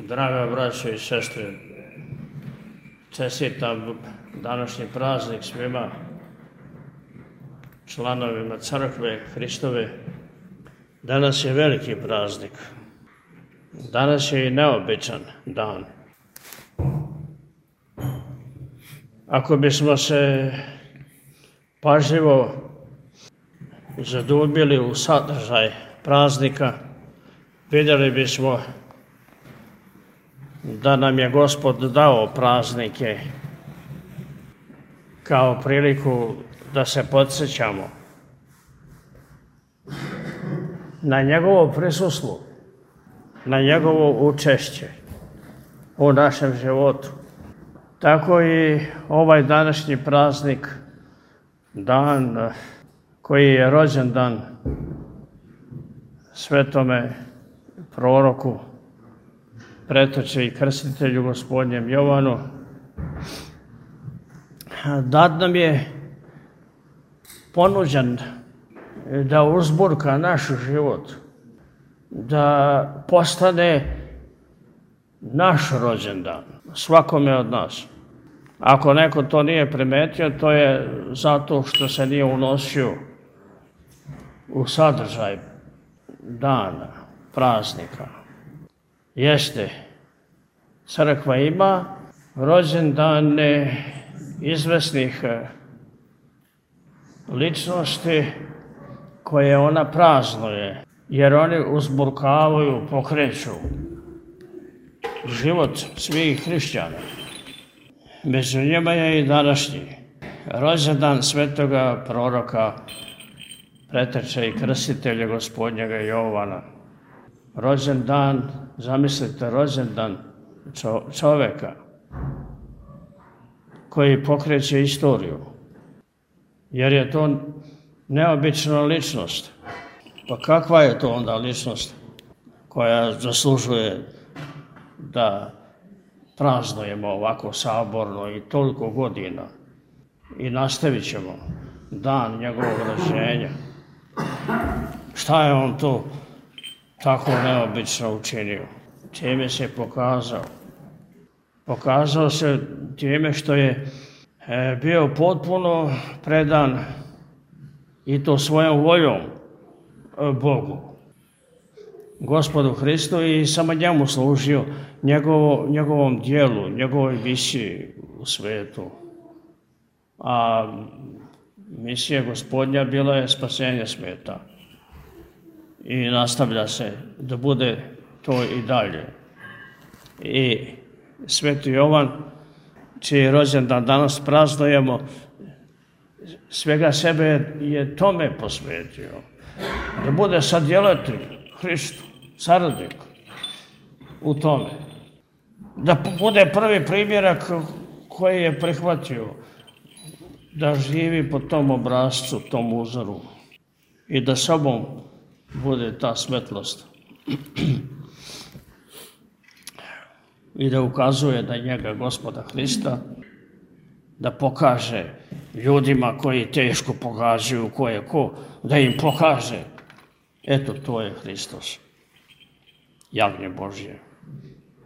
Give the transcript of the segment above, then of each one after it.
Draga braćo i sestre, čestitam današnji praznik svima članovima Crkve Hristove. Danas je veliki praznik. Danas je i neobičan dan. Ako bismo se pažljivo zadubili u sadržaj praznika, vidjeli bismo da nam je Gospod dao praznike kao priliku da se podsjećamo na njegovo prisustvo, na njegovo učešće u našem životu. Tako i ovaj današnji praznik, dan koji je rođendan svetome proroku, preteče i krstitelju Gospodnjem Jovanu, dat nam je ponuđen da uzburka naš život, da postane naš rođendan, svakome od nas. Ako neko to nije primetio, to je zato što se nije unosio u sadržaj dana, praznika. Jeste, crkva ima rođendane izvesnih ličnosti koje ona praznuje, jer oni uzburkavaju, pokreću život svih hrišćana. Među njima je i današnji rođendan svetoga proroka, preteče i krstitelja Gospodnjega Jovana. Rođendan, zamislite, rođendan čoveka koji pokreće istoriju, jer je to neobična ličnost. Pa kakva je to onda ličnost koja zaslužuje da praznujemo ovako saborno i toliko godina i nastavit ćemo dan njegovog rođenja? Šta je on to tako neobično učinio? Čime se pokazao? Pokazao se time što je bio potpuno predan i to svojom voljom Bogu, Gospodu Hristu, i samo njemu služio, njegovom dijelu, njegovoj misiji u svetu. A misija Gospodnja bila je spasenje sveta. I nastavlja se da bude to i dalje. I sveti Jovan, čiji rođendan danas praznujemo, svega sebe je tome posvetio. Da bude sadjelatelj Hristu, saradnik u tome. Da bude prvi primjerak koji je prihvatio da živi po tom obrascu, tom uzoru i da sobom bude ta svetlost i da ukazuje na njega, Gospoda Hrista, da pokaže ljudima koji teško pogađaju ko je ko, da im pokaže, eto, to je Hristos, jagnje Božje.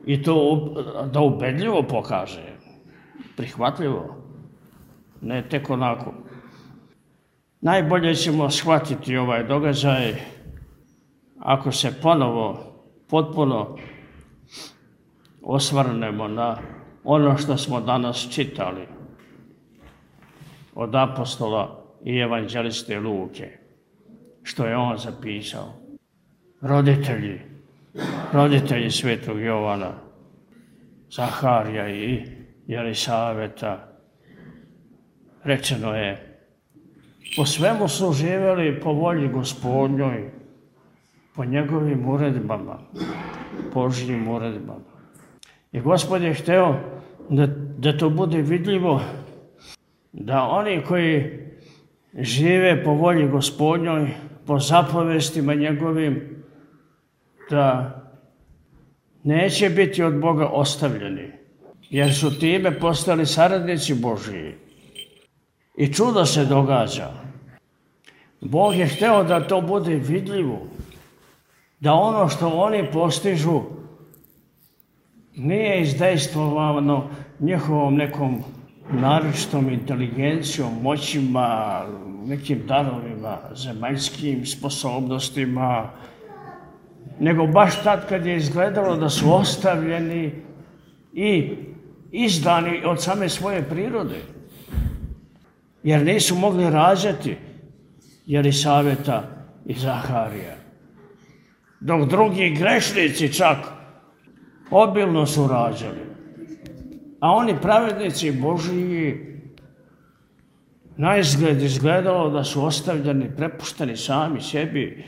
I to da ubedljivo pokaže, prihvatljivo, ne tek onako. Najbolje ćemo shvatiti ovaj događaj ako se ponovo, potpuno osvrnemo na ono što smo danas čitali od apostola i evanđeliste Luke, što je on zapisao. Roditelji svetog Jovana, Zaharija i Jelisaveta, rečeno je, po svemu su živjeli po volji Gospodnjoj, po njegovim uredbama, Božjim uredbama. I Gospod je hteo da to bude vidljivo, da oni koji žive po volji Gospodnjoj, po zapovestima njegovim, da neće biti od Boga ostavljeni, jer su time postali saradnici Božji. I čudo se događa. Bog je hteo da to bude vidljivo, da ono što oni postižu nije izdejstvovano njihovom nekom naročitom inteligencijom, moćima, nekim darovima, zemaljskim sposobnostima, nego baš tad kad je izgledalo da su ostavljeni i izdani od same svoje prirode, jer nisu mogli rađati Jelisaveta i Zaharija. Dok drugi grešnici čak obilno su rađali. A oni pravednici Božiji naizgled izgledalo da su ostavljeni, prepušteni sami sebi,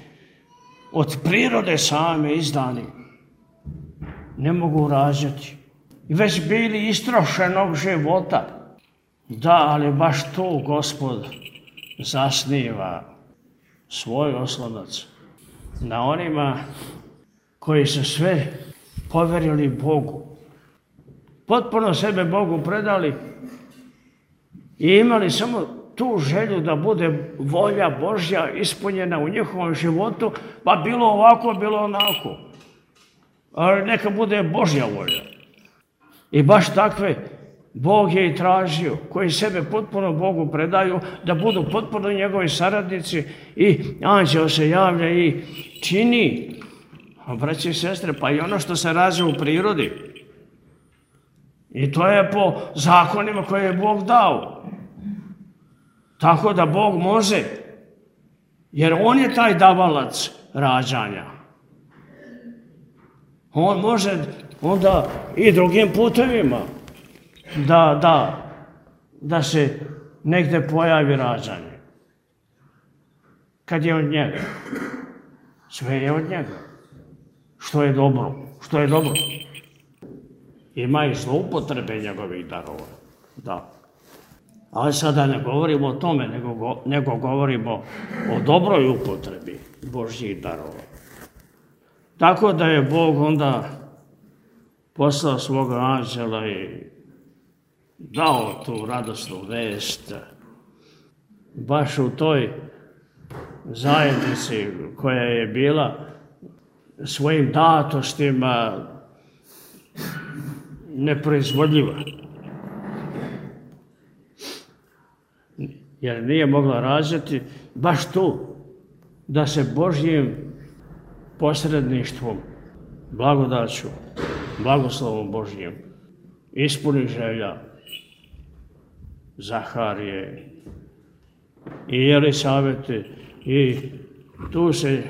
od prirode same izdani. Ne mogu rađati. I već bili istrošenog života. Da, ali baš tu Gospod zasniva svoj oslonac na onima koji su sve poverili Bogu. Potpuno sebe Bogu predali i imali samo tu želju da bude volja Božja ispunjena u njihovom životu, pa bilo ovako, bilo onako. Ali neka bude Božja volja. I baš takve Bog je i tražio, koji sebe potpuno Bogu predaju, da budu potpuno njegovi saradnici i anđeo se javlja i čini, braći i sestre, pa i ono što se rađa u prirodi. I to je po zakonima koje je Bog dao. Tako da Bog može, jer On je taj davalac rađanja. On može onda i drugim putevima da se negde pojavi rađanje. Kad je od njega. Sve je od njega. Što je dobro. Što je dobro. Ima i zloupotrebe njegovih darova. Da. Ali sada ne govorimo o tome, nego govorimo o dobroj upotrebi Božjih darova. Tako da je Bog onda poslao svoga anđela i dao tu radosnu vest baš u toj zajednici koja je bila svojim datostima neproizvodljiva. Jer nije mogla rađati baš tu da se Božjim posredništvom, blagodaću, blagoslovom Božjim ispuni želja Zaharije i Jelisavete i tu se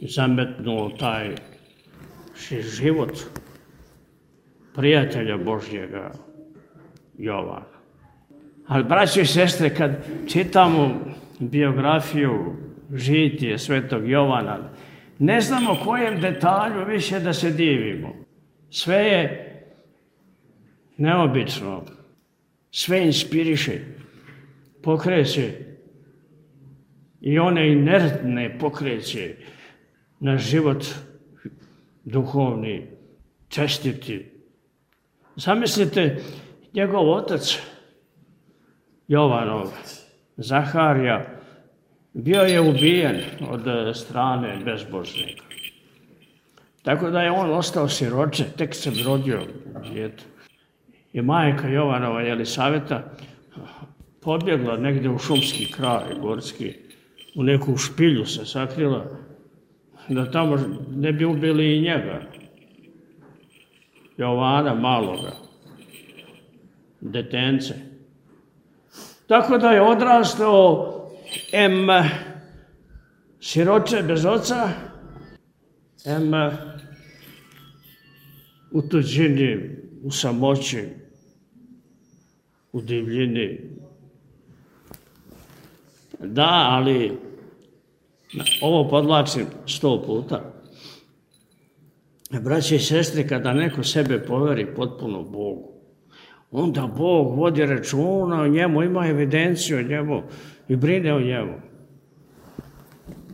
zametnuo taj život prijatelja Božjega Jovana. Ali, braći i sestre, kad čitamo biografiju, žitije svetog Jovana, ne znamo kojem detalju više da se divimo. Sve je neobično, sve inspiriše, pokreće i one inertne pokreće na život duhovni, čestiti. Zamislite, njegov otac Jovanov, Zaharija, bio je ubijen od strane bezbožnika. Tako da je on ostao siroče, tek se rodio dijete. I majka Jovanova Jelisaveta pobjegla negdje u šumski kraj, gorski, u neku špilju se sakrila, da tamo ne bi ubili i njega, Jovana maloga, detence. Tako da je odrastao siroče bez oca, u tuđini, u samoći, u divljini. Da, ali ovo podlačim 100 puta. Braći i sestri, kada neko sebe poveri potpuno Bogu, onda Bog vodi računa o njemu, ima evidenciju o njemu i brine o njemu.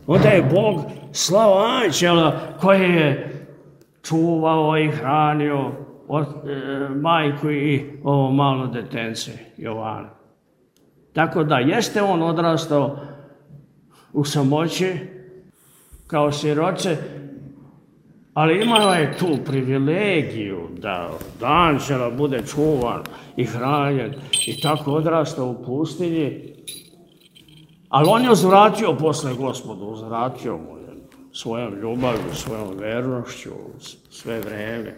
Onda je Bog slao anđela koji je čuvao i hranio majku i ovo malo detence Jovana. Tako da jeste on odrastao u samoći kao siroče, Ali imala je tu privilegiju da od anđela bude čuvan i hranjen i tako odrastao u pustinji. Ali on je uzvratio posle Gospodu, uzvratio mu je svojom ljubavlju, svojom vernošću, sve vreme.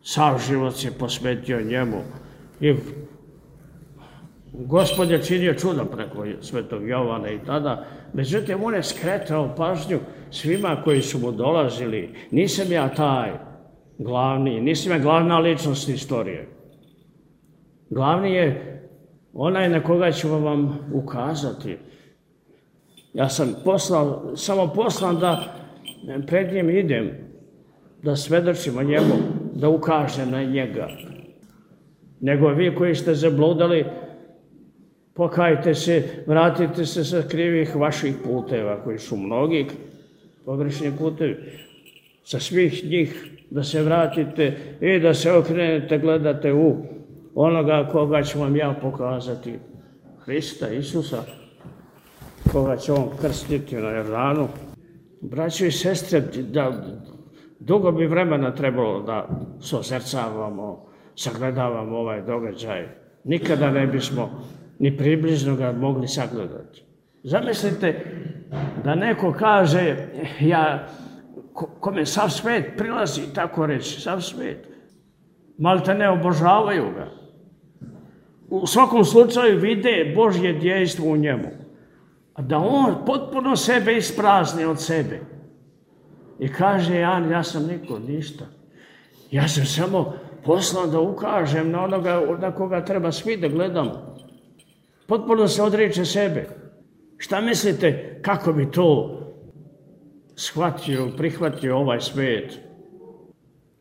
Sav život se posvetio njemu. I Gospod je činio čuda preko svetog Jovana i tada. Međutim, on je skretao pažnju svima koji su mu dolazili. Nisam ja taj glavni, nisam ja glavna ličnost istorije. Glavni je onaj na koga ću vam ukazati. Ja sam samo poslan da pred njim idem, da svedočim o njemu, da ukažem na njega. Nego vi koji ste zabludali, pokajte se, vratite se sa krivih vaših puteva, koji su mnogi pogrešni putevi. Sa svih njih da se vratite i da se okrenete, gledate u onoga koga ću vam ja pokazati. Hrista, Isusa, koga će on krstiti na Jordanu. Braćo i sestre, dugo bi vremena trebalo da sozrcavamo, sagledavamo ovaj događaj. Nikada ne bismo ni približno ga mogli sagledati. Zamislite da neko kaže, kome sav svet prilazi, tako reći, sav svet. Malte ne obožavaju ga. U svakom slučaju vide Božje djejstvo u njemu. A da on potpuno sebe isprazni od sebe. I kaže, ja sam niko, ništa. Ja sam samo poslan da ukažem na onoga na koga treba svi da gledamo. Potpuno se odriče sebe. Šta mislite kako bi to shvatio, prihvatio ovaj svet?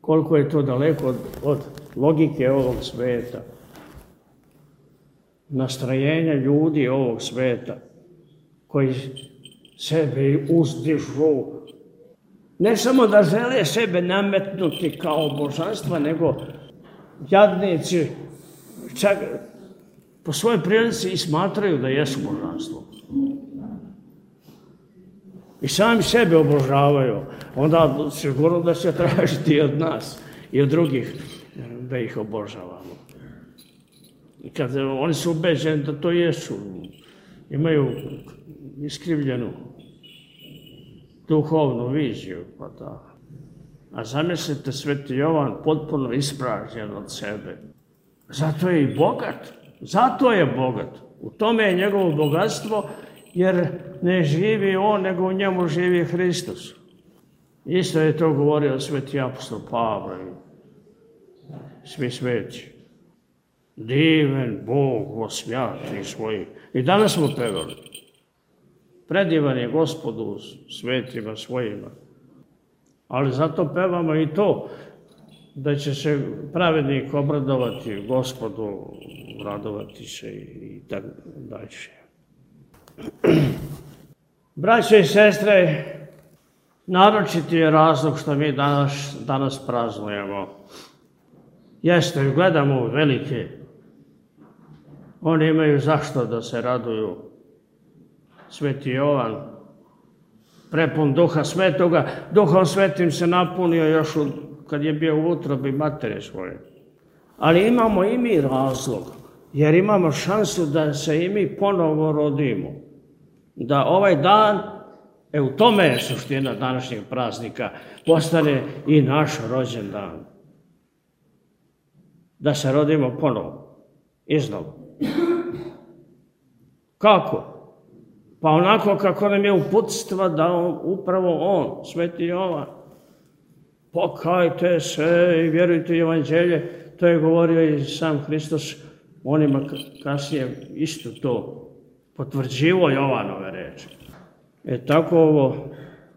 Koliko je to daleko od logike ovog sveta? Nastrojenja ljudi ovog sveta koji sebe uzdižu. Ne samo da žele sebe nametnuti kao božanstva, nego jadnici čak po svojoj prilici i smatraju da jesu božanstvo. I sami sebe obožavaju. Onda sigurno da će tražiti od nas i od drugih da ih obožavamo. I kad oni su ubeđeni da to jesu, imaju iskrivljenu duhovnu viziju. Pa da. A zamislite, sveti Jovan potpuno ispražnjen od sebe. Zato je i bogat. Zato je bogat. U tome je njegovo bogatstvo, jer ne živi on, nego u njemu živi Hristos. Isto je to govorio sveti apostol Pavle i svi sveti. Diven Bog osvjati svojih. I danas smo pevali. Predivan je Gospodu svetima svojima. Ali zato pevamo i to, da će se pravednik obradovati Gospodu, radovati se i tako dalje. Braćo i sestre, naročiti je razlog što mi danas praznujemo. Jeste, gledamo velike. Oni imaju zašto da se raduju. Sveti Jovan, prepun Duha Svetoga, Duhom Svetim se napunio još kad je bio u utrobi matere svoje. Ali imamo i mi razlog, jer imamo šansu da se i mi ponovo rodimo. Da ovaj dan, u tome je suština današnjeg praznika, postane i naš rođendan. Da se rodimo ponovo, iznova. Kako? Pa onako kako nam je uputstva da upravo on, sveti Jovan, pokajte se i vjerujte u evanđelje, to je govorio i sam Hristos, onima kasnije isto to potvrđivo Jovanove reči. Tako ovo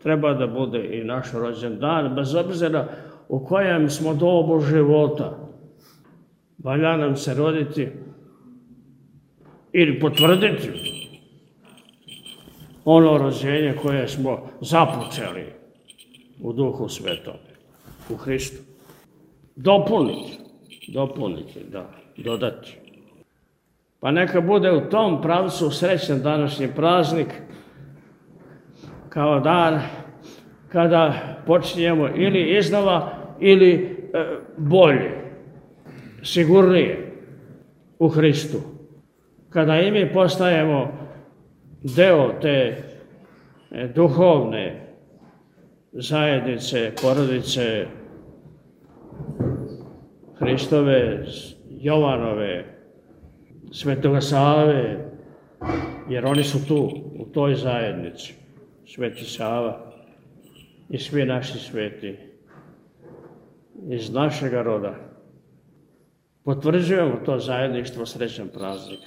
treba da bude i naš rođendan, bez obzira u kojem smo dobu života. Valja nam se roditi ili potvrditi ono rođenje koje smo započeli u Duhu Svetom, u Hristu. Dopuniti, da, dodati. Pa neka bude u tom pravcu srećan današnji praznik, kao dan kada počinjemo ili iznova ili bolje, sigurnije u Hristu. Kada i mi postajemo deo te duhovne zajednice, porodice Hristove, Jovanove, Svetoga Save, jer oni su tu, u toj zajednici, Sveti Sava i svi naši sveti iz našega roda. Potvrđujemo to zajedništvo, srećan praznik.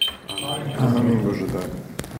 Amin. Bože, da.